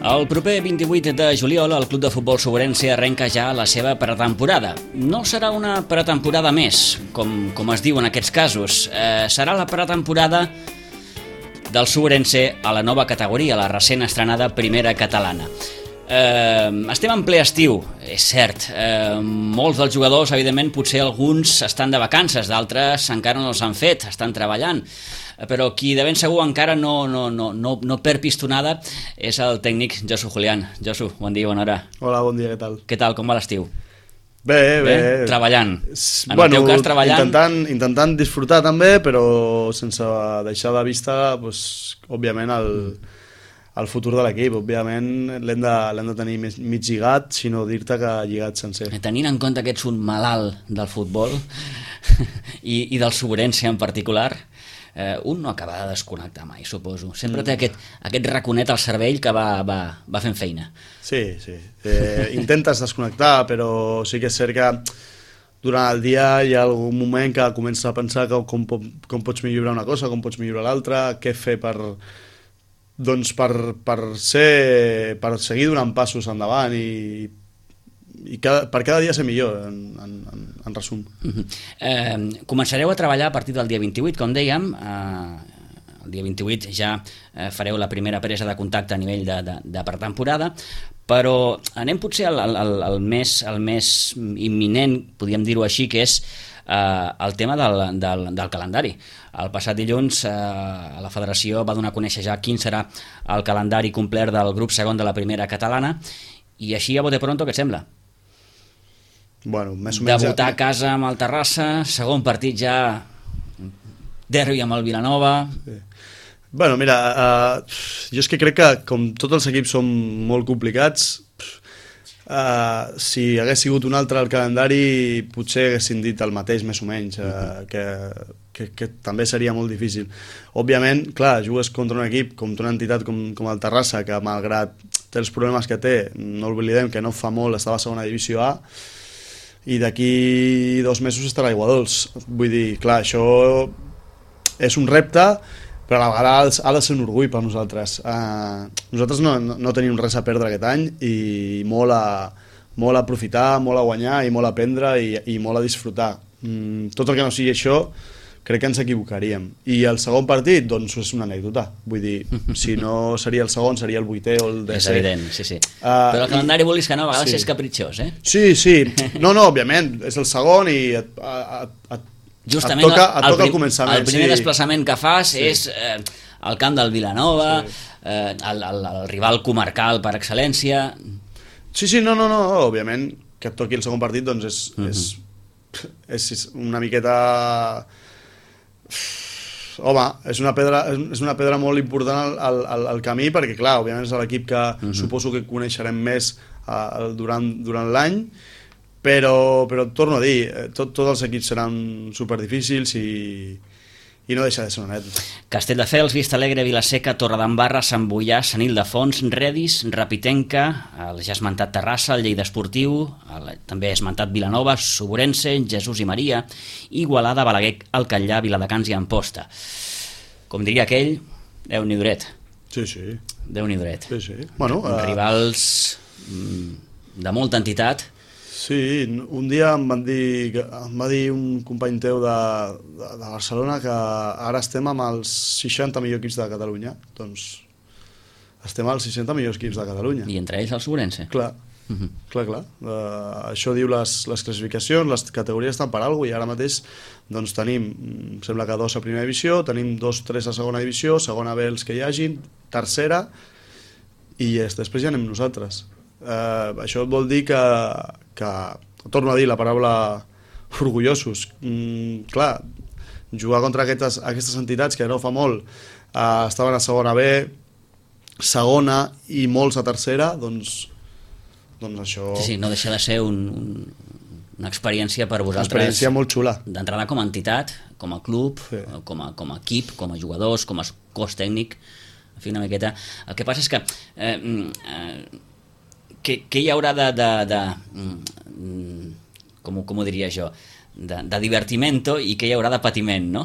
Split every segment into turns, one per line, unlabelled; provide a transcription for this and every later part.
El proper 28 de juliol el Club de Futbol Soberense arrenca ja la seva pretemporada. No serà una pretemporada més, com es diu en aquests casos. Serà la pretemporada del Soberense a la nova categoria, la recent estrenada Primera Catalana. Estem en ple estiu, és cert. Molts dels jugadors, evidentment, potser alguns estan de vacances, d'altres encara no els han fet, estan treballant. Però qui de ben segur encara no perd pistonada és el tècnic Josu Julián. Josu, bon dia, bona hora.
Hola, bon dia, què tal?
Què tal, com va l'estiu?
Bé.
Treballant. En el teu cas, treballant.
Intentant disfrutar també, però sense deixar de vista, doncs, òbviament, el futur de l'equip. Òbviament l'hem de tenir mig lligat, si no dir-te que lligat sencer.
Tenint en compte que ets un malalt del futbol i del Soberense en particular, un no acaba de desconnectar mai, suposo. Sempre té aquest raconet al cervell que va fent feina.
Sí. Intentes desconnectar, però sí que és cert que durant el dia hi ha algun moment que comences a pensar com pots millorar una cosa, com pots millorar l'altra, què fer per seguir donant passos endavant i per cada dia ser millor, en resum.
Començareu a treballar a partir del dia 28, com dèiem. El dia 28 ja fareu la primera presa de contacte a nivell de pretemporada, però anem potser al més imminent, podríem dir-ho així, que és el tema del calendari. El passat dilluns la federació va donar a conèixer ja quin serà el calendari complet del grup segon de la Primera Catalana, i així a bote pronto, què et sembla?
Bueno, més o menys...
Debutar a casa amb el Terrassa, segon partit ja derbi amb el Vilanova...
Sí. Bueno, mira, jo és que crec que com tots els equips són molt complicats, si hagués sigut un altre al calendari potser haguessin dit el mateix més o menys, que també seria molt difícil. Òbviament, clar, jugues contra un equip, contra una entitat com el Terrassa, que malgrat té els problemes que té, no oblidem que no fa molt estava a segona divisió A, i d'aquí 2 mesos estarà a Aigua Dols. Vull dir, clar, això és un repte, però a la vegada ha de ser un orgull per nosaltres. Nosaltres no tenim res a perdre aquest any i molt a aprofitar, molt a guanyar i molt a aprendre i molt a disfrutar. Tot el que no sigui això, crec que ens equivocaríem. I el segon partit, doncs és una anècdota. Vull dir, si no seria el segon, seria el 8è o el 10è.
És evident, sí. Però el calendari, vulguis que no, a vegades és capritxós, eh?
Sí. No, òbviament, és el segon i
justament
et toca el començament.
El primer desplaçament que fas és al camp del Vilanova, el rival comarcal per excel·lència.
Sí, no, òbviament que et toqui el segon partit doncs és una miqueta... Home, és una pedra molt important al camí, perquè clar, òbviament és l'equip que suposo que coneixerem més durant l'any, però torno a dir, tots els equips seran superdifícils i no deixa de ser una anècdota.
Castelldefels, Vistalegre, Vilaseca, Torredembarra, Sant Boià, Sant Ildefons, Redis, Rapitenca, el ja esmentat Terrassa, el Lleida Esportiu, també esmentat Vilanova, Soberense, Jesús i Maria, Igualada, Balaguer, el Catllà, Viladecans i Amposta. Com diria aquell, Déu-n'hi duret.
Sí.
Déu-n'hi duret.
Sí. Bueno,
rivals de molta entitat.
Sí, un dia em va dir un company teu de Barcelona que ara estem amb els 60 millors equips de Catalunya. Doncs estem als 60 millors equips de Catalunya.
I entre ells el Soberense.
Clar. Això diu les classificacions, les categories estan per alguna cosa, i ara mateix doncs, tenim, em sembla que 2 a primera divisió, tenim 2-3 a segona divisió, segona B els que hi hagin, tercera, i després ja anem nosaltres. Això vol dir que torno a dir la paraula orgullosos. Clar, jugar contra aquestes entitats que no fa molt estaven a segona B, segona i molts a tercera, doncs això...
Sí, no deixa de ser una experiència per vosaltres.
Una experiència molt xula. D'entrada
com a entitat, com a club, com a equip, com a jugadors, com a cos tècnic, en fi, una miqueta. El que passa és que què hi haurà com ho diria jo, de divertimento i què hi haurà de patiment, no?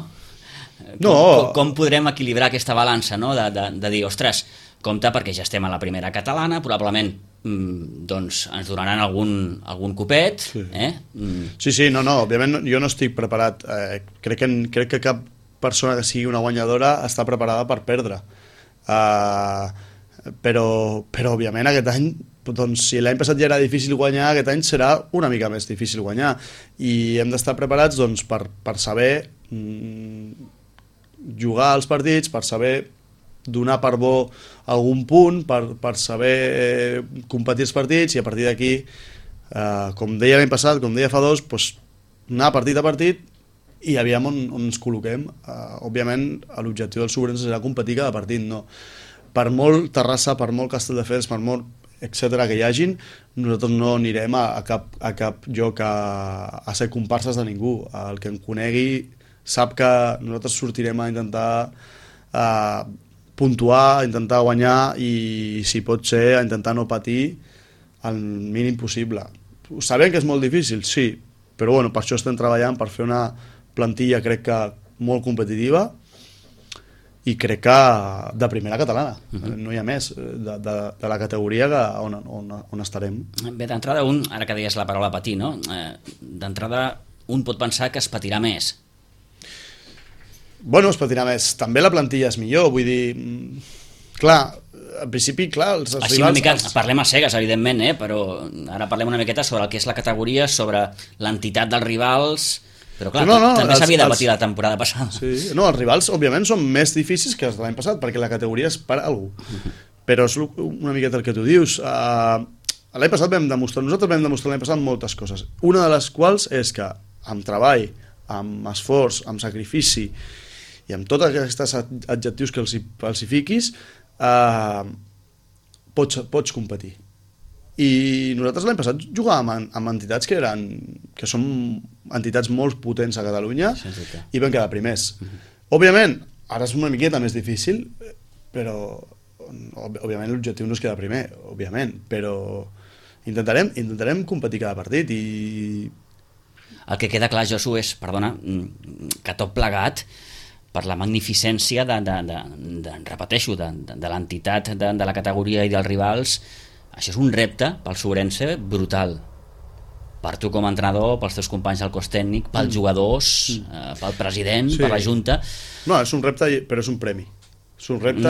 Com podrem equilibrar aquesta balança, no? De dir, ostres, compte perquè ja estem a la primera catalana, probablement doncs ens donaran algun copet.
Sí, no, òbviament jo no estic preparat. Crec que cap persona que sigui una guanyadora està preparada per perdre. Però òbviament aquest any, doncs, si l'any passat ja era difícil guanyar, aquest any serà una mica més difícil guanyar, i hem d'estar preparats doncs, per saber jugar als partits, per saber donar per bo algun punt, per saber competir els partits, i a partir d'aquí, com deia l'any passat, com deia fa dos, doncs, anar partit a partit i aviam on ens col·loquem. Òbviament l'objectiu del Sobrense serà competir cada partit, no? Per molt Terrassa, per molt Castelldefels, per molt etcètera que hi hagin, nosaltres no anirem a cap lloc a ser comparses de ningú. El que em conegui sap que nosaltres sortirem a intentar puntuar, a intentar guanyar, i si pot ser a intentar no patir el mínim possible. Sabem que és molt difícil, sí, però bueno, per això estem treballant, per fer una plantilla crec que molt competitiva, i crec que de primera catalana. No hi ha més de la categoria on estarem.
Bé, d'entrada ara que deies la paraula patir, no? D'entrada un pot pensar que es patirà més.
Bueno, es patirà més. També la plantilla és millor, vull dir, clar, al principi, clar, els
rivals... Així una mica, parlem a cegues, evidentment, però ara parlem una miqueta sobre el que és la categoria, sobre l'entitat dels rivals, però clar, també s'havia de patir la temporada passada.
Sí, no, els rivals, òbviament, són més difícils que els de l'any passat, perquè la categoria és per a algú. Però és una miqueta el que tu dius. L'any passat nosaltres vam demostrar l'any passat moltes coses. Una de les quals és que amb treball, amb esforç, amb sacrifici, i amb tots aquests adjectius que els hi fiquis, pots competir. I nosaltres l'any passat jugàvem amb entitats que són entitats molt potents a Catalunya, i vam quedar primers. Òbviament, ara és una miqueta més difícil, però òbviament l'objectiu no és quedar primer, òbviament, però intentarem competir cada partit. I
el que queda clar, Josu, és, perdona, que tot plegat, per la magnificència repeteixo, de l'entitat de la categoria i dels rivals, això és un repte pel Sobrense brutal. Per tu com a entrenador, pels teus companys del cos tècnic, pels jugadors, pel president, per la Junta.
No, és un repte, però és un premi. És un repte,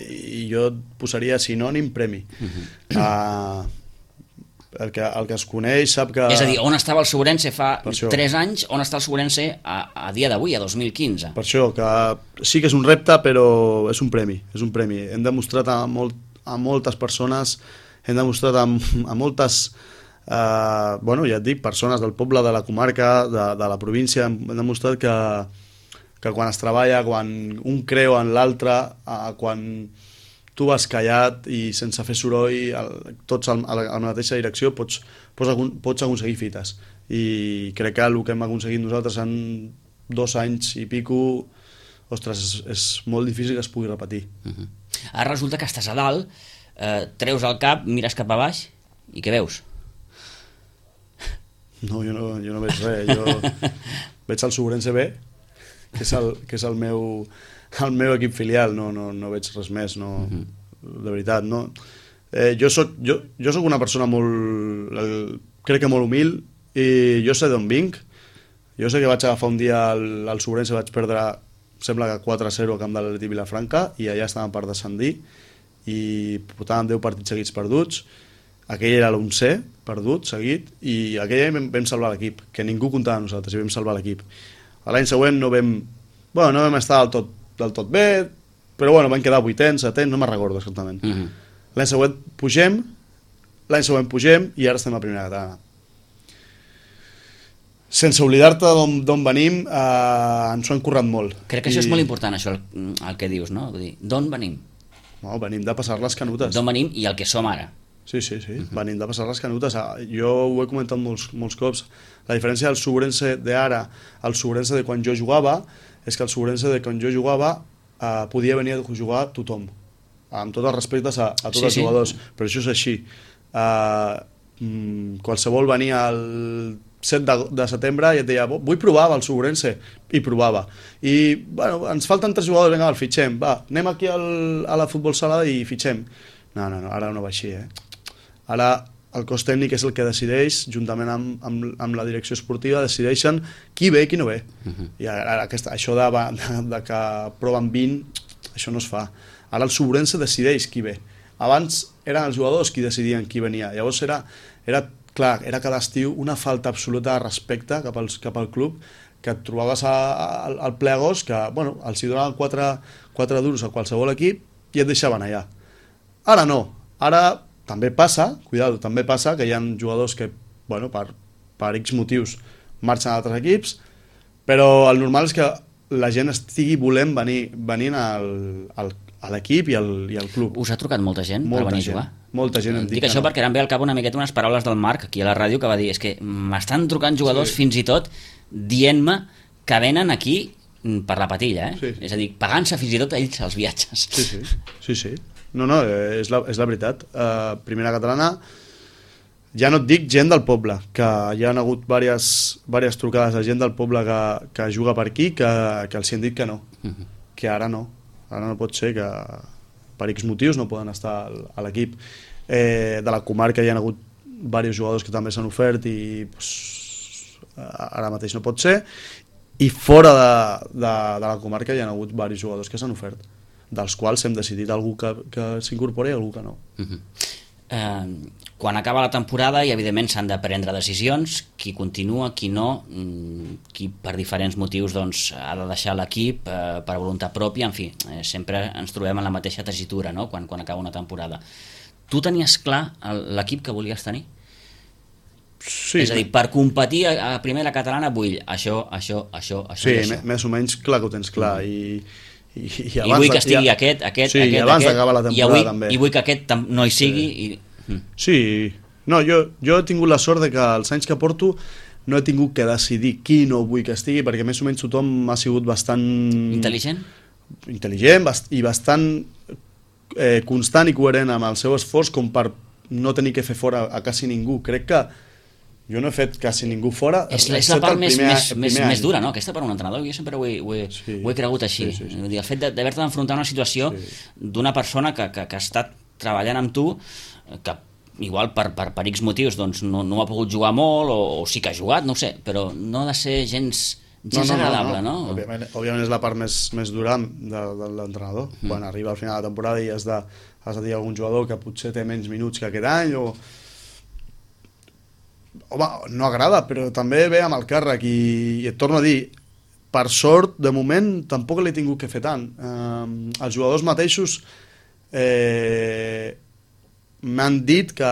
i jo posaria sinònim premi. El que es coneix sap que...
És a dir, on estava el Sobrense fa 3 anys, on està el Sobrense a dia d'avui, a 2015?
Per això, que sí que és un repte, però és un premi. Hem demostrat a moltes persones, hem demostrat a moltes, ja et dic, persones del poble, de la comarca, de la província, hem demostrat que quan es treballa, quan un creu en l'altre, quan tu vas callat i sense fer soroll, tots a la mateixa direcció, pots aconseguir fites. I crec que el que hem aconseguit nosaltres en 2 anys i pico, ostres, és molt difícil que es pugui repetir.
Ara resulta que estàs a dalt, treus el cap, mires cap a baix, i què veus?
No, jo no veig res. Jo veig el Sobrense B, que és el meu equip filial, no veig res més, de veritat, no. Jo soc una persona crec que molt humil, i jo sé d'on vinc. Jo sé que vaig agafar un dia al Sobrense, vaig perdre, sembla que 4-0 al camp de l'Atleti Vilafranca, i allà estàvem per descendir, i portàvem 10 partits seguits perduts. Aquell era l'11è perdut, seguit, i aquell any vam salvar l'equip, que ningú comptava amb nosaltres, i vam salvar l'equip. L'any següent no vam estar del tot bé, però bueno, van quedar 8ens, 7ens, no me'n recordo exactament. L'any següent pugem, i ara estem a primera catalana. Sense oblidar-te d'on venim, ens ho han currat molt.
Crec que això és molt important, això, el que dius, no? Vull dir, d'on venim?
No, venim de passar les canutes.
D'on venim i el que som ara.
Sí, venim de passar les canutes. Jo ho he comentat molts cops. La diferència del Sobrense d'ara al Sobrense de quan jo jugava és que el Sobrense de quan jo jugava podia venir a jugar tothom, amb tots els respectes a tots els jugadors, però això és així. Qualsevol venia al 7 de setembre i et deia, vull provar amb el Segurense, i provava. I, bueno, ens falten 3 jugadors, vinga, el fitxem, va, anem aquí a la futbol sala i fitxem. No, ara no va així, Ara el cos tècnic és el que decideix, juntament amb la direcció esportiva, decideixen qui ve i qui no ve. I ara això de que proven 20, això no es fa. Ara el Segurense decideix qui ve. Abans eren els jugadors qui decidien qui venia. Llavors era cada estiu una falta absoluta de respecte cap al club, que et trobaves al ple agost que, bueno, els hi donaven 4 duros a qualsevol equip i et deixaven allà. Ara no. Ara també passa que hi ha jugadors que, bueno, per X motius marxen a altres equips, però el normal és que la gent estigui volent venir a l'equip i al club.
Us ha trucat molta gent per venir a jugar?
Molta gent em
dic això perquè ara em ve al cap una miqueta unes paraules del Marc aquí a la ràdio que va dir, és que m'estan trucant jugadors fins i tot dient-me que venen aquí per la patilla,
Sí.
És a dir, pagant-se fins i tot ells els viatges.
Sí. No, és la veritat. Primera catalana, ja no et dic gent del poble, que hi ha hagut diverses trucades de gent del poble que juga per aquí, que els hi han dit que no, que ara no pot ser, que per X motius no poden estar a l'equip. De la comarca hi ha hagut diversos jugadors que també s'han ofert i ara mateix no pot ser, i fora de la comarca hi ha hagut diversos jugadors que s'han ofert, dels quals hem decidit algú que s'incorpori i algú que no.
Quan acaba la temporada i evidentment s'han de prendre decisions, qui continua, qui no, qui per diferents motius doncs, ha de deixar l'equip per voluntat pròpia, en fi, sempre ens trobem en la mateixa tessitura, no? quan acaba una temporada. Tu tenies clar l'equip que volies tenir?
Sí.
És a dir, per competir a primera catalana vull això.
Sí, més o menys clar que ho tens clar, i
vull que estigui aquest,
abans d'acabar la temporada també.
I vull que aquest no hi sigui.
Sí, no, jo he tingut la sort de que els anys que porto no he tingut que decidir qui no vull que estigui, perquè més o menys tothom ha sigut bastant intel·ligent i bastant constant i coherent amb el seu esforç com per no tenir que fer fora a quasi ningú. Crec que jo no he fet quasi ningú fora.
És la part més dura, no? Aquesta per un entrenador, jo sempre ho he cregut així.
Sí.
El fet d'haver-te d'enfrontar a una situació d'una persona que ha estat treballant amb tu, que igual per X motius doncs, no ha pogut jugar molt, o sí que ha jugat, no ho sé, però no ha de ser gens agradable, no?
Òbviament és la part més dura de l'entrenador. Quan arriba al final de la temporada i has de dir a algun jugador que potser té menys minuts que aquest any, home, no agrada, però també ve amb el càrrec i et torno a dir, per sort, de moment, tampoc l'he tingut que fer tant. Els jugadors mateixos m'han dit que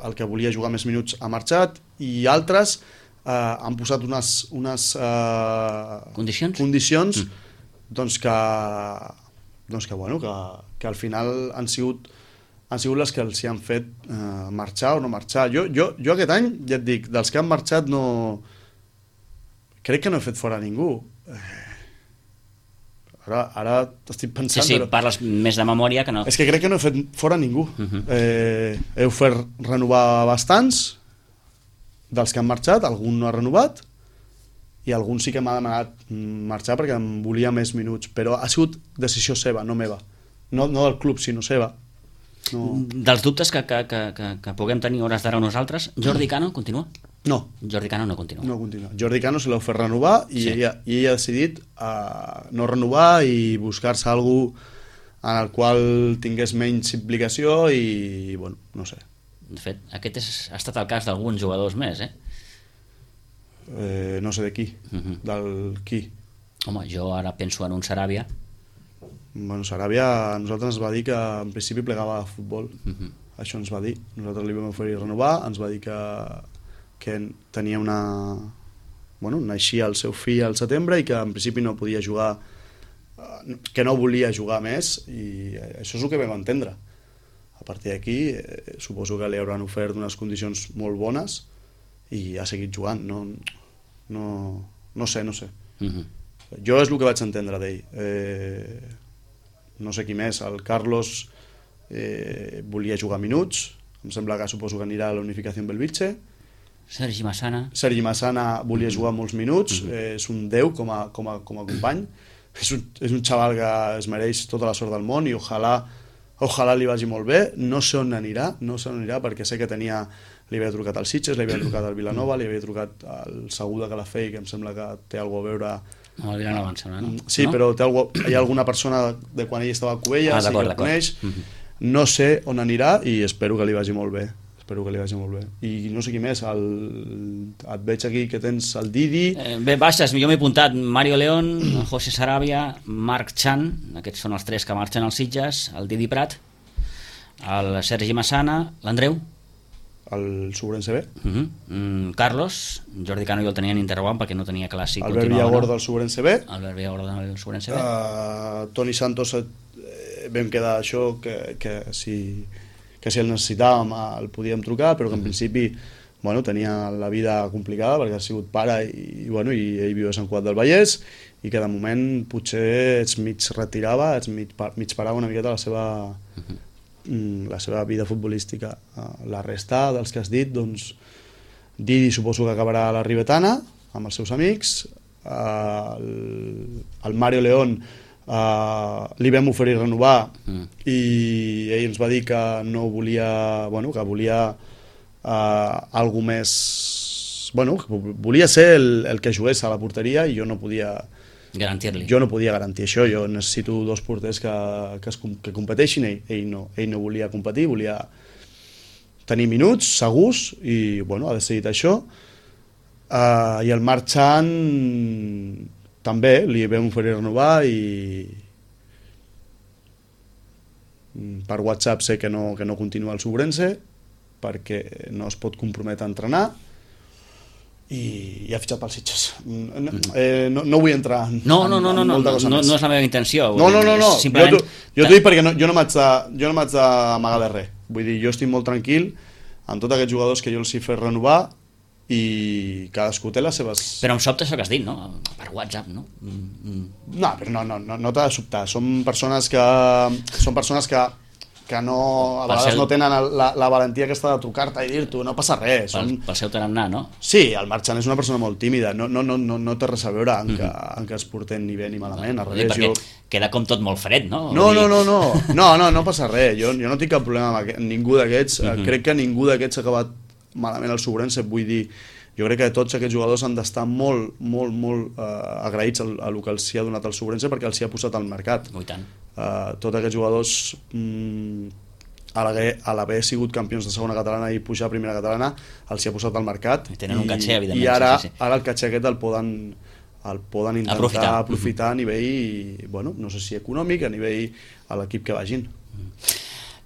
el que volia jugar més minuts ha marxat i altres han posat unes condicions doncs que al final han sigut les que els hi han fet marxar o no marxar. Jo aquest any, ja et dic, dels que han marxat crec que no he fet fora ningú. Ara estic pensant...
Sí, parles més de memòria que no...
És que crec que no he fet fora ningú. He ofert renovar bastants dels que han marxat, algun no ha renovat i algun sí que m'ha demanat marxar perquè em volia més minuts, però ha sigut decisió seva, no meva. No del club, sinó seva. No.
Dels dubtes que puguem tenir hores d'ara nosaltres, Jordi Cano continua?
No.
Jordi Cano no continua.
No continua. Jordi Cano se l'ha ofert renovar i ella ha decidit no renovar i buscar-se algú en el qual tingués menys implicació i, bueno, no sé.
De fet, aquest ha estat el cas d'alguns jugadors més,
no sé de qui. Del qui?
Home, jo ara penso en un Saràbia.
Bueno, Saràbia a nosaltres ens va dir que en principi plegava a futbol. Això ens va dir. Nosaltres li vam oferir renovar, ens va dir que tenia naixia el seu fill al setembre i que en principi no podia jugar, que no volia jugar més, i això és el que vam entendre. A partir d'aquí suposo que li hauran ofert unes condicions molt bones i ha seguit jugant. No sé. Jo és el que vaig entendre d'ell. No sé qui més. El Carlos volia jugar minuts, em sembla que suposo que anirà a la Unificació Belvitge,
Sergi Massana
volia jugar molts minuts, és un déu com a company, és un xaval que es mereix tota la sort del món i ojalà li vagi molt bé. No sé on anirà perquè sé que li havia trucat al Sitges, li havia trucat al Vilanova, li havia trucat al Segur de Calafell, que em sembla que té alguna cosa a veure...
No, el Vilanova, em sembla, no?
Sí, no? Però hi ha alguna persona de quan ell estava a Cubelles, sí que el coneix. No sé on anirà i espero que li vagi molt bé. I no sé qui més, et veig aquí que tens el Didi...
Bé, baixes, jo m'he apuntat Mario León, José Sarabia, Marc Chan, aquests són els 3 que marxen als Sitges, el Didi Prat, el Sergi Massana, l'Andreu,
el Sobrense B,
Carlos, Jordi Cano jo el tenia en interrogant perquè no tenia clar si
Albert Villagorda del Sobrense B, Toni Santos, vam quedar això que si el necessitàvem el podíem trucar, però que en principi tenia la vida complicada perquè ha sigut pare i ell viu a Sant Cugat del Vallès i que de moment potser es mig retirava, mig parava una miqueta la seva vida futbolística. La resta dels que has dit, doncs Didi suposo que acabarà a la Ribetana amb els seus amics, el Mario León li vam oferir renovar i ell ens va dir que no volia, que volia algo més, que volia ser el que jugués a la porteria i jo no podia garantir això. Jo necessito 2 porters que competeixin. Ell no volia competir, volia tenir minuts segurs i ha decidit això. I el Marc Chan també li vam oferir renovar i per WhatsApp sé que no continua el Sobrense perquè no es pot comprometre a entrenar i ha fitxat pels Sitges. No vull entrar en molta cosa més.
No és la meva intenció.
No. Jo t'ho dic perquè jo no m'haig d'amagar de res. Vull dir, jo estic molt tranquil amb tots aquests jugadors que jo els he fet renovar i cadascú té les seves...
Però em sobta això que has dit, no? Per WhatsApp, no?
No, però no t'ha de sobtar. Són persones que no, a vegades no tenen la valentia aquesta de trucar-te i dir-t'ho, no passa res.
Pel seu tarannà, no?
Sí, el Marc Chan és una persona molt tímida, no té res a veure en que es porten ni bé ni malament.
Perquè queda com tot molt fred, no?
No passa res. Jo no tinc cap problema amb ningú d'aquests. Crec que ningú d'aquests ha acabat malament el Sobrense, vull dir, jo crec que tots aquests jugadors han d'estar molt agraïts a el que els hi ha donat el Sobrense perquè els hi ha posat al mercat.
I tant.
Tots aquests jugadors a l'haver sigut campions de segona catalana i pujar a primera catalana els hi ha posat al mercat
i tenen un catxer, evidentment.
I ara el catxer aquest el poden intentar aprofitar a nivell, no sé si econòmic, a nivell a l'equip que vagin.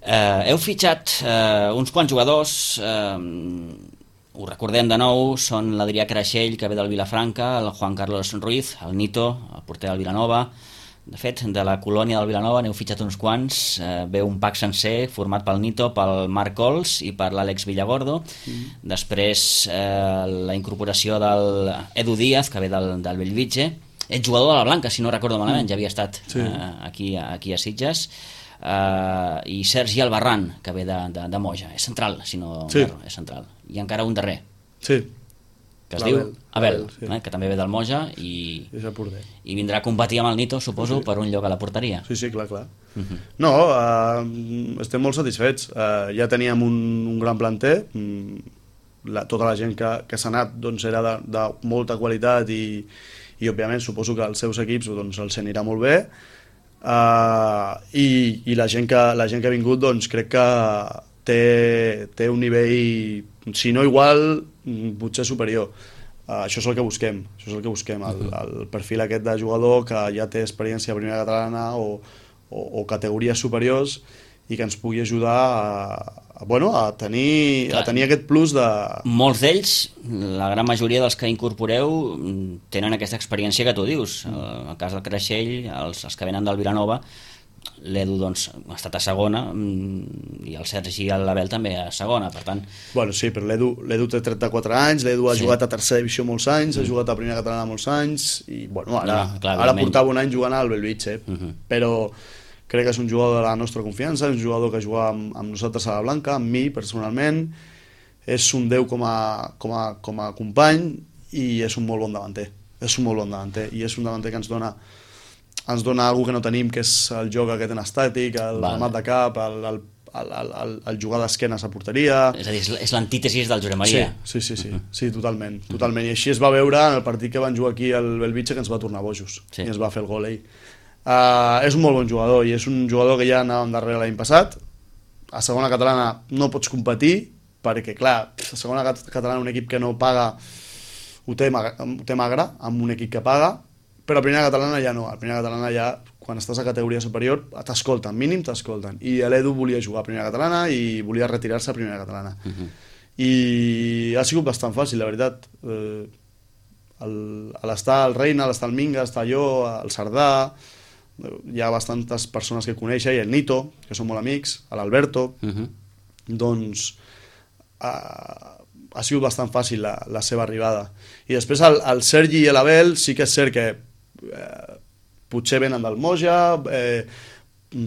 Heu fitxat uns quants jugadors, ho recordem de nou, són l'Adrià Creixell, que ve del Vilafranca, el Juan Carlos Ruiz, el Nito, el porter del Vilanova. De fet, de la colònia del Vilanova n'heu fitxat uns quants, ve un pack sencer format pel Nito, pel Marc Cols i per l'Àlex Villagordo. Després la incorporació del Edu Díaz, que ve del Bellvitge. Ets jugador de la Blanca, si no recordo malament, ja havia estat aquí a Sitges. I Sergi Albarrán, que ve de Moja, és central, si no erro, és central. I encara un darrer, que es diu Abel, que també ve del Moja i vindrà a competir amb el Nito, suposo, per un lloc a la porteria.
Sí, clar. No, estem molt satisfets. Ja teníem un gran planter, tota la gent que s'ha anat era de molta qualitat i òbviament suposo que als seus equips els anirà molt bé. I la gent que ha vingut crec que té un nivell, si no igual, potser superior. Això és el que busquem, el perfil aquest de jugador que ja té experiència a primera catalana o categories superiors i que ens pugui ajudar a tenir aquest plus de...
Molts d'ells, la gran majoria dels que incorporeu, tenen aquesta experiència que tu dius. El cas del Creixell, els que venen del Vilanova, l'Edu ha estat a segona i el Sergi i l'Abel també a segona, per tant...
Sí, però l'Edu té 34 anys, l'Edu ha jugat a tercera divisió molts anys, ha jugat a primera catalana molts anys i ara portava un any jugant al Bellvitge, però crec que és un jugador de la nostra confiança, és un jugador que juga amb nosaltres a la Blanca, amb mi personalment, és un déu com a company i és un molt bon davanter. És un molt bon davanter i és un davanter que ens dona alguna que no tenim, que és el joc aquest en estàtic, el remat de cap, el jugar d'esquenes a porteria.
És a dir, és l'antítesis del Josep Maria.
Sí, totalment. I així es va veure en el partit que van jugar aquí al Belvitge, que ens va tornar bojos i ens va fer el gol ell. És un molt bon jugador i és un jugador que ja anàvem darrere l'any passat. A segona catalana no pots competir perquè, clar, a segona catalana un equip que no paga ho té magre amb un equip que paga, però a primera catalana ja no. A primera catalana ja, quan estàs a categoria superior, t'escolten, mínim t'escolten. I l'Edu volia jugar a primera catalana i volia retirar-se a primera catalana. I ha sigut bastant fàcil, la veritat. A l'estar al Reina, a l'estar al Minga, a estar jo, al Cerdà, hi ha bastantes persones que coneix, i el Nito, que són molt amics, l'Alberto, doncs ha sigut bastant fàcil la seva arribada. I després el Sergi i l'Abel sí que és cert que potser venen del Moja,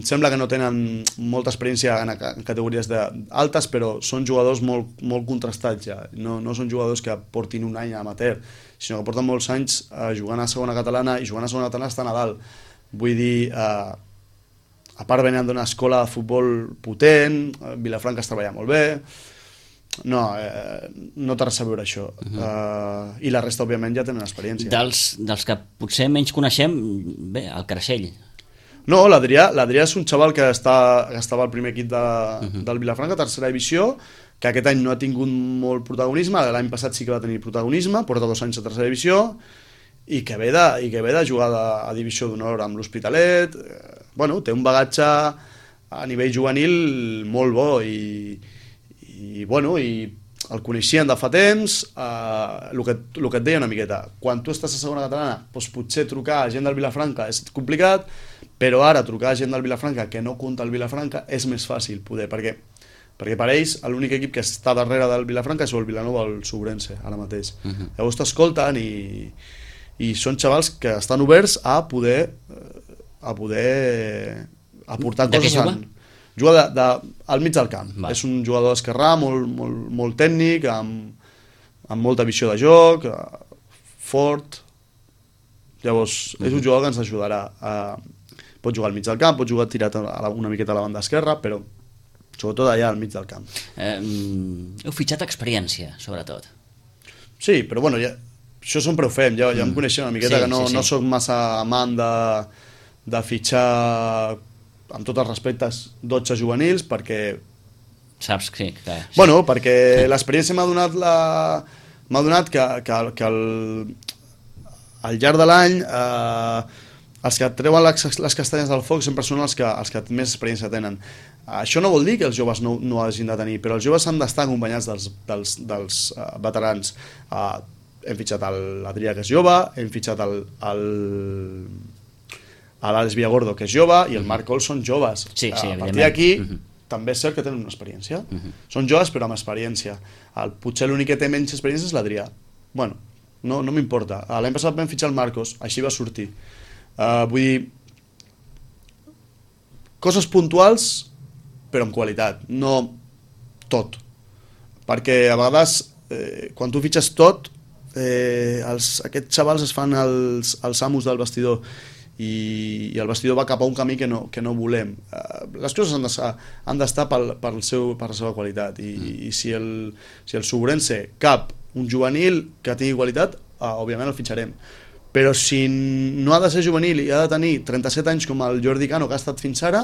sembla que no tenen molta experiència en categories altes, però són jugadors molt contrastats ja. No són jugadors que portin un any amateur, sinó que porten molts anys jugant a segona catalana, i jugant a segona catalana estan a dalt. Vull dir, a part venen d'una escola de futbol potent, Vilafranca es treballa molt bé, no té res a veure això. I la resta òbviament ja tenen experiència.
Dels que potser menys coneixem, bé, el Creixell.
No, l'Adrià és un xaval que estava al primer equip del Vilafranca, tercera divisió, que aquest any no ha tingut molt protagonisme, l'any passat sí que va tenir protagonisme, porta 2 anys a tercera divisió, i que ve de jugar a divisió d'honor amb l'Hospitalet. Bueno, té un bagatge a nivell juvenil molt bo i el coneixien de fa temps. El que et deia una miqueta, quan tu estàs a segona catalana, doncs potser trucar a gent del Vilafranca és complicat, però ara trucar a gent del Vilafranca que no compta el Vilafranca és més fàcil poder, perquè per ells l'únic equip que està darrere del Vilafranca és el Vilanova o el Sobrense ara mateix. Llavors t'escolten i són xavals que estan oberts a poder aportar coses. Juga al mig del camp. És un jugador esquerrà, molt tècnic, amb molta visió de joc, fort. Llavors, és un jugador que ens ajudarà. Pot jugar al mig del camp, pot jugar tirat una miqueta a la banda esquerra, però sobretot allà al mig del camp.
Heu fitxat experiència, sobretot.
Sí, però bueno, això sempre ho fem, ja em coneixem una miqueta, que no soc massa amant de fitxar, amb tots els respectes, 12 juvenils, perquè...
Saps que...
Bueno, perquè l'experiència m'ha donat que al llarg de l'any els que treuen les castanyes del foc sempre són els que més experiència tenen. Això no vol dir que els joves no hagin de tenir, però els joves han d'estar acompanyats dels veterans. Hem fitxat l'Adrià, que és jove, hem fitxat l'Àlex Villagordo, que és jove, i el Marc Coll són joves. A partir d'aquí també és cert que tenen una experiència. Són joves però amb experiència. Potser l'únic que té menys experiència és l'Adrià. Bueno, no m'importa. L'any passat vam fitxar el Marcos, així va sortir. Vull dir, coses puntuals però amb qualitat, no tot. Perquè a vegades quan tu fitxes tot, aquests xavals es fan els amos del vestidor i el vestidor va cap a un camí que no volem. Les coses han d'estar per la seva qualitat, i si el Sobrense cap un juvenil que tingui qualitat, òbviament el fitxarem, però si no ha de ser juvenil i ha de tenir 37 anys com el Jordi Cano, que ha estat fins ara,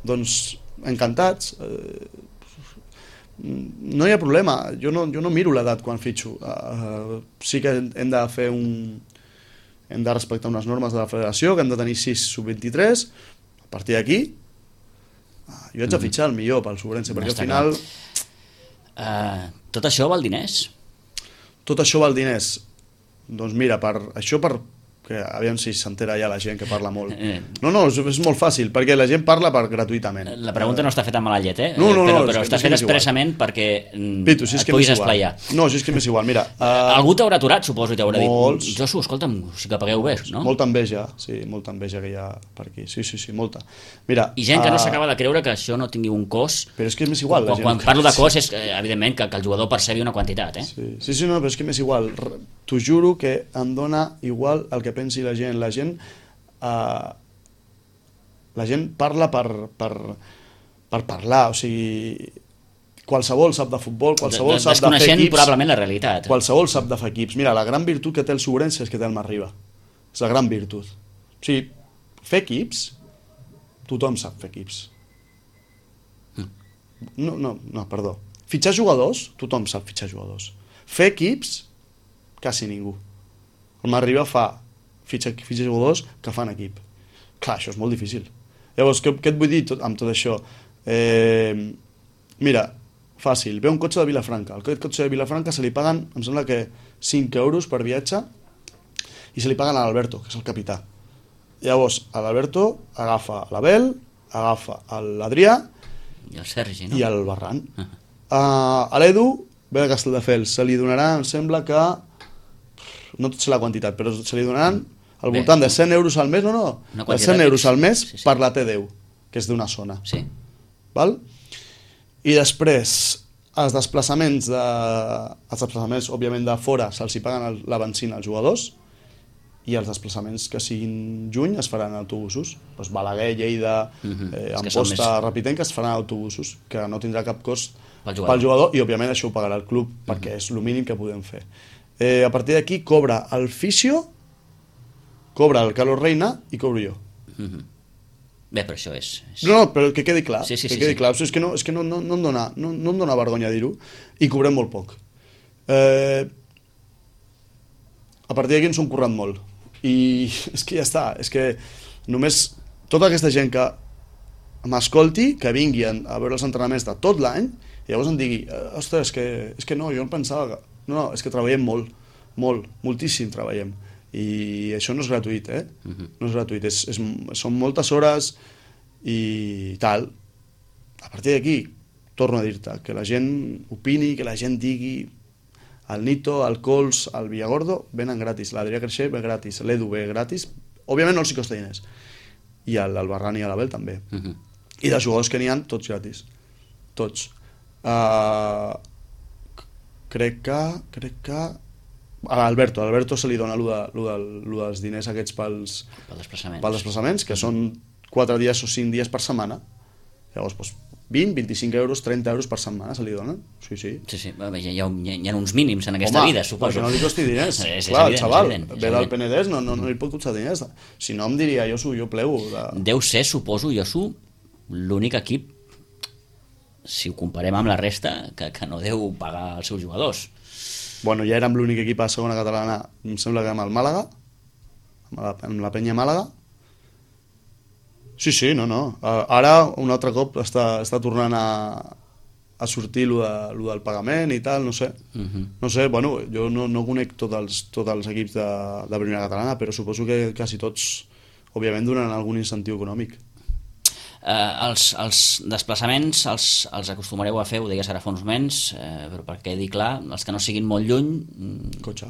doncs encantats. No hi ha problema, jo no miro l'edat quan fitxo. Sí que hem de fer hem de respectar unes normes de la federació, que hem de tenir 6 sub-23. A partir d'aquí jo haig de fitxar el millor pel Sobrense, perquè al final...
Tot això val diners?
Tot això val diners. Doncs mira, per que aviam si s'entera ja la gent que parla molt. No, és molt fàcil, perquè la gent parla gratuïtament.
La pregunta no està feta amb mala llet,
No,
però està feta expressament perquè
Pitu, si és
et
que
puguis esplaiar.
No, si és que m'és igual, mira...
Algú t'haurà aturat, suposo, i t'haurà
Molts.
dit Josu, escolta'm, sí que pagueu bé, no?
Molta enveja que hi ha per aquí. Sí, molta. Mira,
I gent que no s'acaba de creure que això no tingui un cost.
Però és que m'és igual.
Quan parlo de cost és, evidentment, que el jugador percebi una quantitat,
Sí, no, però és que m'és igual. T'ho juro que em dona igual el que pensi la gent. La gent parla per parlar, o sigui, qualsevol sap de futbol, qualsevol sap de fer equips.
Desconeixent probablement la realitat.
Qualsevol sap de fer equips. Mira, la gran virtut que té el Sobrense és que té el Marriba. És la gran virtut. O sigui, fer equips, tothom sap fer equips. No, perdó. Fitxar jugadors, tothom sap fitxar jugadors. Fer equips, quasi ningú. El Marriba fitxa jugadors que fan equip. Clar, això és molt difícil. Llavors, què et vull dir amb tot això? Mira, fàcil, ve un cotxe de Vilafranca. El cotxe de Vilafranca se li paguen, em sembla que 5 euros per viatge, i se li paguen a l'Alberto, que és el capità. Llavors, l'Alberto agafa l'Abel, agafa l'Adrià
i el Sergi, no?
I el Barran. A l'Edu ve de Castelldefels, se li donarà, em sembla que no sé la quantitat, però se li donaran al voltant de 100 euros al mes, de 100 euros al mes per la T10, que és d'una zona.
Sí.
Val? I després, els desplaçaments, òbviament, de fora se'ls hi paguen la benzina als jugadors, i els desplaçaments que siguin juny es faran en autobusos. Doncs Balaguer, Lleida, Amposta, Repitenc, es faran autobusos, que no tindrà cap cost pel jugador, i òbviament això ho pagarà el club, perquè és el mínim que podem fer. A partir d'aquí cobra el fisio, cobra el Carlos Reina i cobro jo.
Bé, però això és...
No, però que quedi clar.
Sí.
Clar. És que no em dona vergonya dir-ho, i cobrem molt poc. A partir d'aquí ens hem currat molt. I és que ja està. És que només tota aquesta gent que m'escolti, que vingui a veure els entrenaments de tot l'any, i llavors em digui, ostres, és que no, jo em pensava que... No, és que treballem moltíssim treballem. I això no és gratuït, No és gratuït, són moltes hores i tal. A partir d'aquí, torno a dir-te, que la gent opini, que la gent digui, el Nito, el Cols, el Villagordo venen gratis, l'Adrià Creixer ve gratis, l'Edu ve gratis, òbviament no els hi costa diners, i el Barran i l'Abel també. I dels jugadors que n'hi ha, tots gratis. Tots. Crec que a l'Alberto se li dona lo dels diners aquests pels desplaçaments, que són 4 dies o 5 dies per setmana. Llavors, doncs, 20, 25 euros, 30 euros per setmana se li donen. Sí.
Hi ha uns mínims en aquesta vida, suposo.
Perquè no li costi diners. Clar, el xaval ve del Penedès, no li pot costar diners. Si no, em diria, jo plego.
Deu ser, suposo, l'únic equip, si ho comparem amb la resta, que no deu pagar els seus jugadors.
Bueno, ja érem l'únic equip a la segona catalana, em sembla que amb el Màlaga, amb la Penya Màlaga. Sí, no. Ara, un altre cop, està tornant a sortir lo del pagament i tal, no sé. No sé, bueno, jo no conec tots els equips de primera catalana, però suposo que quasi tots, òbviament, donen algun incentiu econòmic.
Els desplaçaments els acostumareu a fer, ho deies ara fa uns moments, però perquè quedi clar, els que no siguin molt lluny,
cotxe.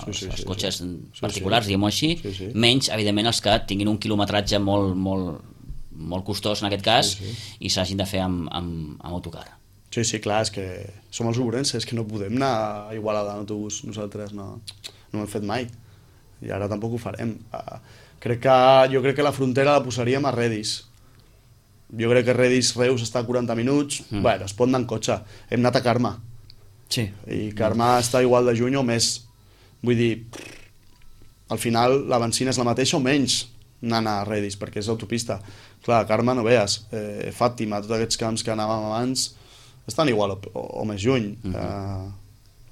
Els cotxes particulars, diguem-ho així, menys, evidentment, els que tinguin un quilometratge molt costós en aquest cas i s'hagin de fer amb autocar.
Sí, clar, és que som els obrenses, és que no podem anar a Igualada en autobús, nosaltres no ho hem fet mai i ara tampoc ho farem. Jo crec que la frontera la posaríem a Redis. Jo crec que Redis-Reus està a 40 minuts, bueno, es pot anar en cotxe. Hem anat a Carme.
Sí.
I Carme està igual de juny o més. Vull dir, al final la benzina és la mateixa o menys anant a Redis, perquè és autopista. Clar, a Carme no veus. Fàtima, tots aquests camps que anàvem abans estan igual o més lluny.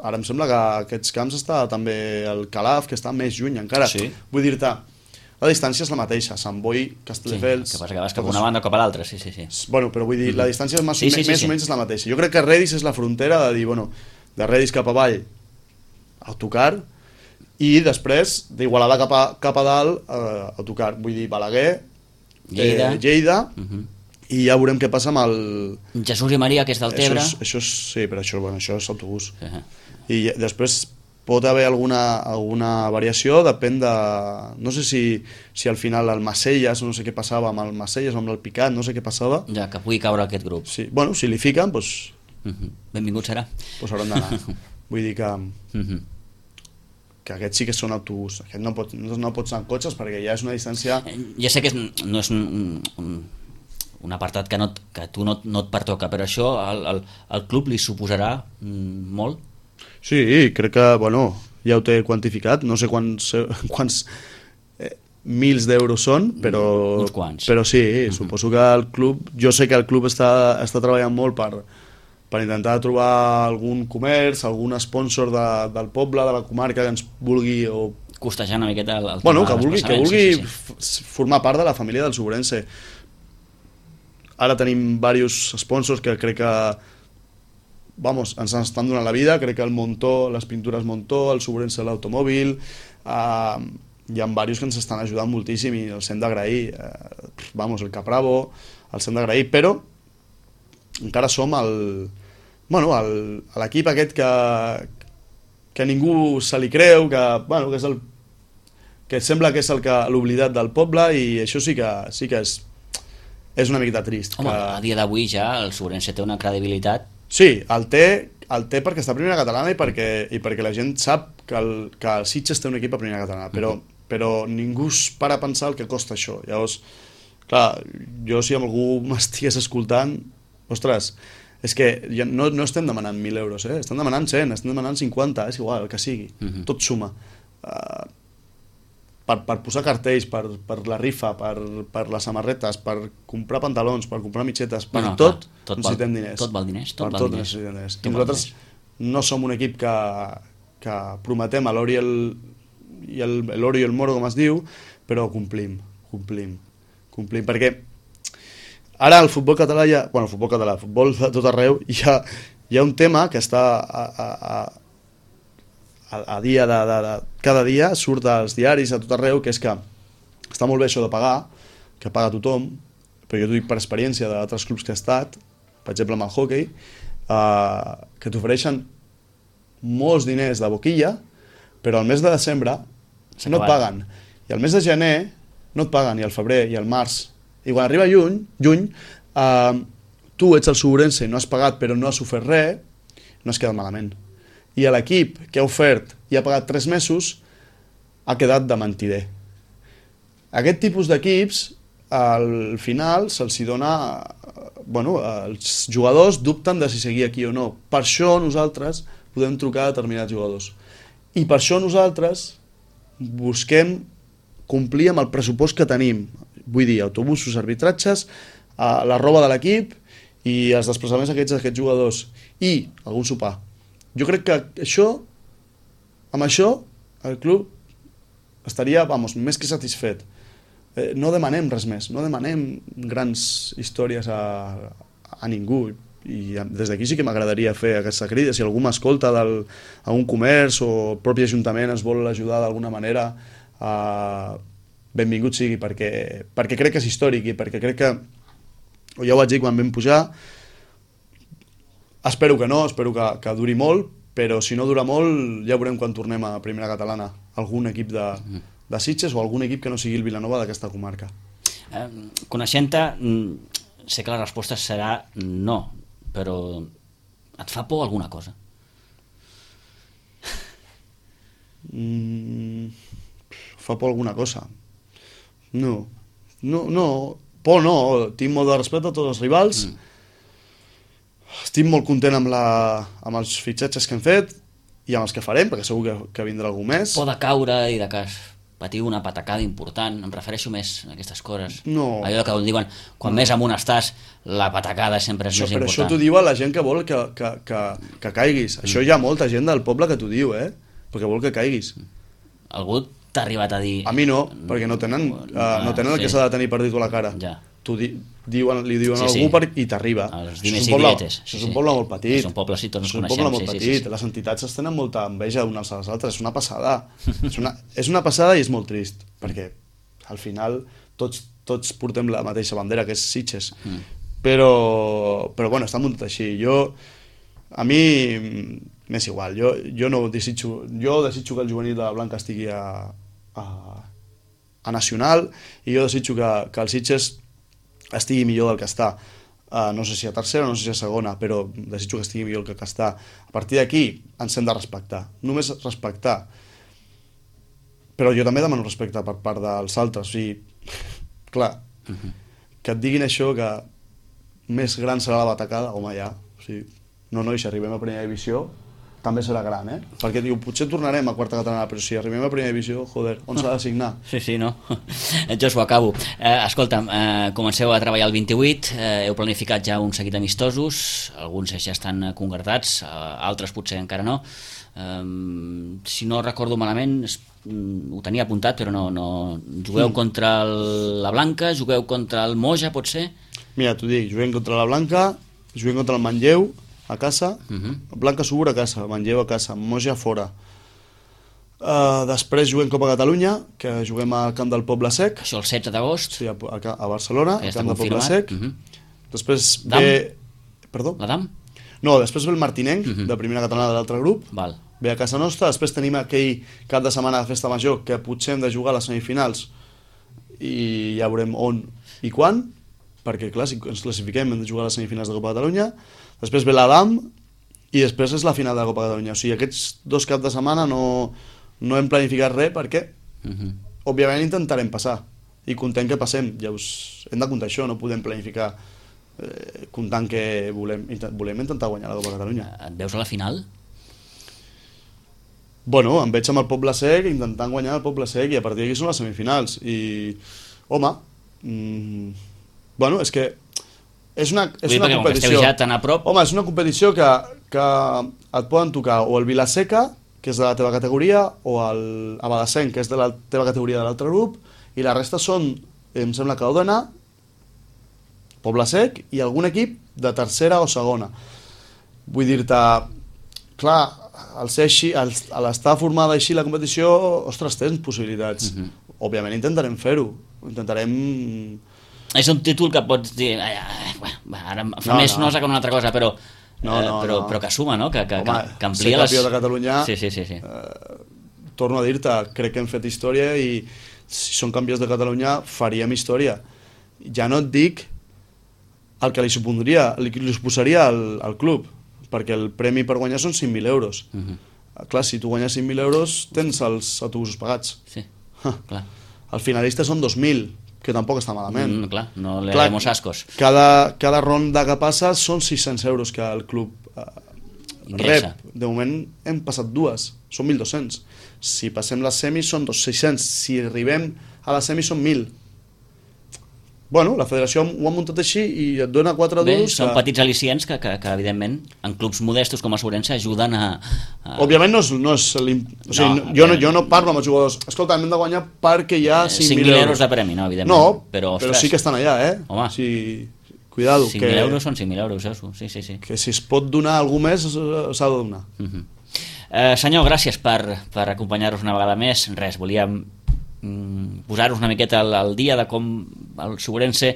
Ara em sembla que aquests camps està també el Calaf, que està més lluny encara. Vull dir-te, la distància és la mateixa, Sant Boi, Castelldefels...
Sí, que passa que vas cap a una banda o cap a l'altra, sí.
Bueno, però vull dir, la distància més o menys és la mateixa. Jo crec que Redis és la frontera de dir, bueno, de Redis cap avall, autocar, i després d'Igualada cap a dalt autocar, vull dir Balaguer, Lleida i ja veurem què passa amb el...
Jesús i Maria, que és del Tebre.
Això sí, però això és autobús. I després pot haver alguna variació, depèn de... No sé si al final el Macelles, no sé què passava amb el Macelles o amb el Picat, no sé què passava.
Ja, que pugui caure aquest grup.
Sí. Bueno, si li fiquen, doncs...
Benvingut serà.
Doncs hauran d'anar. Vull dir que... que aquests sí que són autobús. Aquest no pots anar amb cotxes perquè ja és una distància...
Ja sé que no és un apartat que tu no et pertoca, però això al club li suposarà molt?
Sí, crec que, bueno, ja ho té quantificat, no sé quants mils d'euros són, però...
Uns quants.
Però sí, suposo que el club... Jo sé que el club està treballant molt per intentar trobar algun comerç, algun sponsor del poble, de la comarca que ens vulgui o...
costejar una miqueta el tema
bueno,
de les
que vulgui formar part de la família del Sobrense. Ara tenim diversos sponsors que crec que ens estan donant la vida, crec que el Montó, les pintures Montó, el Sobrense l'automòbil, hi ha diversos que ens estan ajudant moltíssim i els hem d'agrair, el Capravo, els hem d'agrair, però encara som l'equip aquest que ningú se li creu, que és que sembla que és l'oblidat del poble, i això sí que és una miqueta trist.
Home, a dia d'avui ja el Sobrense té una credibilitat.
Sí, el té perquè està a primera catalana i perquè la gent sap que el Sitges té un equip a primera catalana, però ningú es para a pensar el que costa això. Llavors, clar, jo si algú m'estigués escoltant, ostres, és que ja no estem demanant 1.000 euros, estem demanant 100, estem demanant 50, és igual, el que sigui, tot suma. Per posar cartells, per la rifa, per les samarretes, per comprar pantalons, per comprar mitgetes, per tot necessitem diners.
Tot val diners.
Per tot necessitem diners. I nosaltres no som un equip que prometem a l'or i l'oro i el moro, com es diu, però complim, perquè ara el futbol català el futbol de tot arreu, hi ha un tema que està a dia cada dia surt als diaris a tot arreu, que és que està molt bé això de pagar, que paga tothom, però jo t'ho dic per experiència d'altres clubs que he estat, per exemple amb el hockey, que t'ofereixen molts diners de boquilla, però al mes de desembre no et paguen, i al mes de gener no et paguen, i al febrer i al març, i quan arriba juny, tu ets el Sobrense i no has pagat però no has ofert res, no has quedat malament. I l'equip que ha ofert i ha pagat 3 mesos ha quedat de mentider. Aquest tipus d'equips al final se'ls dona... els jugadors dubten de si seguir aquí o no. Per això nosaltres podem trucar a determinats jugadors. I per això nosaltres busquem complir amb el pressupost que tenim. Vull dir, autobusos, arbitratges, la roba de l'equip i els desplaçaments d'aquests jugadors. I algun sopar. Jo crec que amb això el club estaria, més que satisfet. No demanem res més, no demanem grans històries a ningú, i des d'aquí sí que m'agradaria fer aquesta crida. Si algú m'escolta a un comerç o el propi ajuntament ens vol ajudar d'alguna manera, benvingut sigui, perquè crec que és històric i perquè crec que, ja ho vaig dir quan vam pujar, espero que duri molt, però si no dura molt ja veurem quan tornem a primera catalana algun equip de Sitges o algun equip que no sigui el Vilanova d'aquesta comarca.
Coneixent-te, sé que la resposta serà no, però et fa por alguna cosa?
Fa por alguna cosa? No, por no, tinc molt de respecte a tots els rivals, estic molt content amb els fitxatges que hem fet i amb els que farem, perquè segur que vindrà algú més.
Por de caure i de que patiu una patacada important, em refereixo més a aquestes coses.
No.
Allò que diuen, quan més amunt estàs, la patacada sempre és més important.
Però això t'ho diu a la gent que vol que caiguis. Això hi ha molta gent del poble que t'ho diu, perquè vol que caiguis.
Algú t'ha arribat a dir...
A mi no, perquè no tenen el que s'ha de tenir per dir-t'ho a la cara.
Ja.
li diuen a algú i t'arriba.
Els diners i dietes.
Això és un poble molt petit.
És un poble, sí, tots ens
coneixem. És un poble molt petit. Les entitats es tenen molta enveja unes a les altres. És una passada. És una passada i és molt trist, perquè al final tots portem la mateixa bandera, que és Sitges. Però bueno, està muntat així. A mi m'és igual. Jo desitjo que el juvenil de la Blanca estigui a Nacional, i jo desitjo que el Sitges estigui millor del que està. No sé si a tercera, no sé si a segona, però desitjo que estigui millor del que està. A partir d'aquí ens hem de respectar. Només respectar. Però jo també demano respecte per part dels altres. O sigui, clar, que et diguin això, que més gran serà la batacada, home, ja. O sigui, no, si arribem a primera divisió també serà gran, perquè diu, potser tornarem a quarta catalana, però si arribem a primera divisió, joder, on s'ha de signar?
Sí, no? Jo acabo. Escolta'm, comenceu a treballar el 28, heu planificat ja un seguit d'amistosos, alguns ja estan concretats, altres potser encara no. Si no recordo malament, ho tenia apuntat, però no. Jugueu contra la Blanca, jugueu contra el Moja, pot ser?
Mira, t'ho dic, juguem contra la Blanca, juguem contra el Manlleu, a casa, Blanca Subur a casa, Manlleu a casa, Moja fora. Després juguem Copa Catalunya, que juguem al Camp del Poble Sec.
Això el 16 d'agost.
Sí, a Barcelona, al Camp del Poble Sec. Després
ve...
Perdó?
La DAM?
No, després ve el Martinenc, de primera catalana de l'altre grup. Ve a casa nostra. Després tenim aquell cap de setmana de festa major, que potser hem de jugar a les semifinals, i ja veurem on i quan, perquè clar, si ens classifiquem hem de jugar a les semifinals de Copa Catalunya. Després ve la DAM i després és la final de la Copa Catalunya. O sigui, aquests 2 caps de setmana no hem planificat res, perquè òbviament intentarem passar i contem que passem. Llavors hem de comptar això, no podem planificar comptant que volem intentar guanyar la Copa Catalunya.
Et veus a la final?
Bueno, em veig amb el Poble Sec intentant guanyar el Poble Sec, i a partir d'aquí són les semifinals. I, home, bueno, és que és una competició.
Ja tan a prop.
Home, és una competició que et poden tocar o el Vilaseca, que és de la teva categoria, o el Abadassenc, que és de la teva categoria de l'altre grup, i la resta són, em sembla que Òdena, Poble Sec i algun equip de tercera o segona. Vull dir-te, clar, al ser així, a l'estar formada així la competició, ostres, tens possibilitats. Òbviament intentarem fer-ho, intentarem...
És un títol que pots dir, ara fa més nosa que una altra cosa, però que suma, no? Que amplia les...
Ser campió de Catalunya,
sí.
Torno a dir-te, crec que hem fet història, i si som campions de Catalunya faríem història. Ja no et dic el que li suposaria al club, perquè el premi per guanyar són 5.000 euros. Clar, si tu guanyes 5.000 euros tens els autobusos pagats.
Sí, clar.
El finalista són 2.000, que tampoc està malament.
Clar, no le haremos ascos.
Cada ronda que passa són 600 euros que el club rep. De moment hem passat 2, són 1.200. Si passem les semis són 600. Si arribem a les semis són 1.000. Bueno, la federació ho ha muntat així i et dona 4 duros.
Són petits al·licients que evidentment, en clubs modestos com a Sobrense ajuden a...
Òbviament no és... Jo no parlo amb els jugadors. Escolta, hem de guanyar perquè hi ha 5.000
euros de premi, no, evidentment.
No, però sí que estan allà,
Home,
cuidado.
5.000 euros són 5.000 euros, sí.
Que si es pot donar algú més, s'ha de donar.
Senyor, gràcies per acompanyar-nos una vegada més. Res, volíem posar-nos una miqueta al dia de com el Sobrense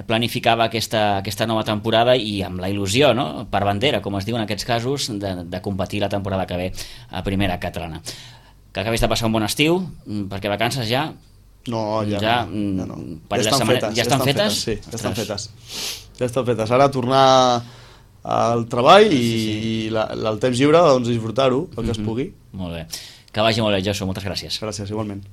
planificava aquesta nova temporada, i amb la il·lusió, no? Per bandera, com es diu en aquests casos, de competir la temporada que ve a primera catalana. Que acabis de passar un bon estiu, perquè vacances ja...
No, ja no.
Ja estan fetes?
Sí, ja estan fetes. Ja estan fetes. Ara tornar al treball i el temps lliure, doncs disfrutar-ho, el que es pugui.
Molt bé. Que vagi molt bé, Josu, moltes gràcies.
Gràcies, igualment.